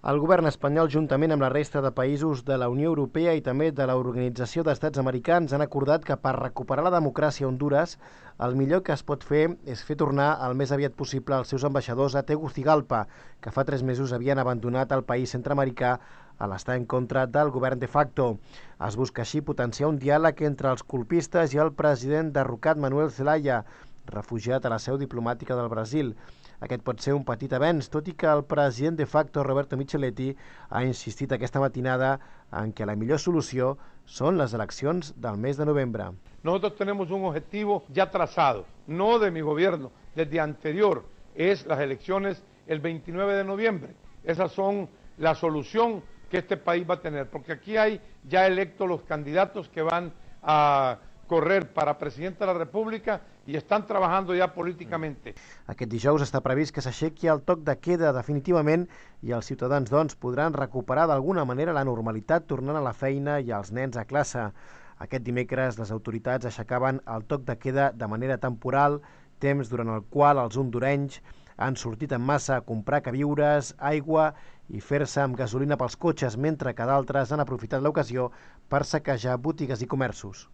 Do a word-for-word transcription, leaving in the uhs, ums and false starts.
El govern espanyol, juntament amb la resta de països de la Unió Europea i també de l'Organització d'Estats Americans, han acordat que per recuperar la democràcia a Hondures, el millor que es pot fer és fer tornar el més aviat possible els seus ambaixadors a Tegucigalpa, que fa tres mesos havien abandonat el país centreamericà a l'estar en contra del govern de facto. Es busca així potenciar un diàleg entre els colpistes i el president derrocat Manuel Zelaya, refugiat a la seu diplomàtica del Brasil. Aquest pot ser un petit avenç, tot i que el president de facto, Roberto Micheletti, ha insistit aquesta matinada en que la millor solució són les eleccions del mes de novembre. Nosotros tenemos un objetivo ya trazado, no de mi gobierno, desde anterior, es las elecciones el veintinueve de noviembre. Esas son la solución que este país va a tener, porque aquí hay ya electos los candidatos que van a correr para presidente de la República i estan treballant ja políticament. Aquest dijous està previst que s'aixequi el toc de queda definitivament i els ciutadans, doncs, podran recuperar d'alguna manera la normalitat tornant a la feina i els nens a classe. Aquest dimecres les autoritats aixecaven el toc de queda de manera temporal, temps durant el qual els hondurenys han sortit en massa a comprar queviures, aigua i fer-se amb gasolina pels cotxes, mentre que d'altres han aprofitat l'ocasió per saquejar botigues i comerços.